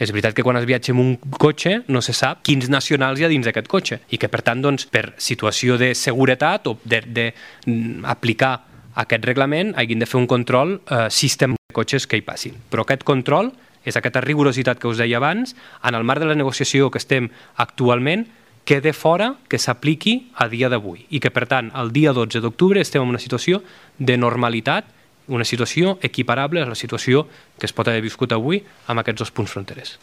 És veritat que quan es viatja amb un cotxe no se sap quins nacionals hi ha dins d'aquest cotxe i que, per tant, per situació de seguretat o d'aplicar aquest reglament hagin de fer un control sistemàtic de cotxes que hi passin. Però aquest control és aquesta rigorositat que us deia abans, en el marc de la negociació que estem actualment, quede fora que s'apliqui a dia d'avui i que, per tant, el dia 12 d'octubre estem en una situació de normalitat, una situació equiparable a la situació que es pot haver viscut avui amb aquests dos punts fronterers.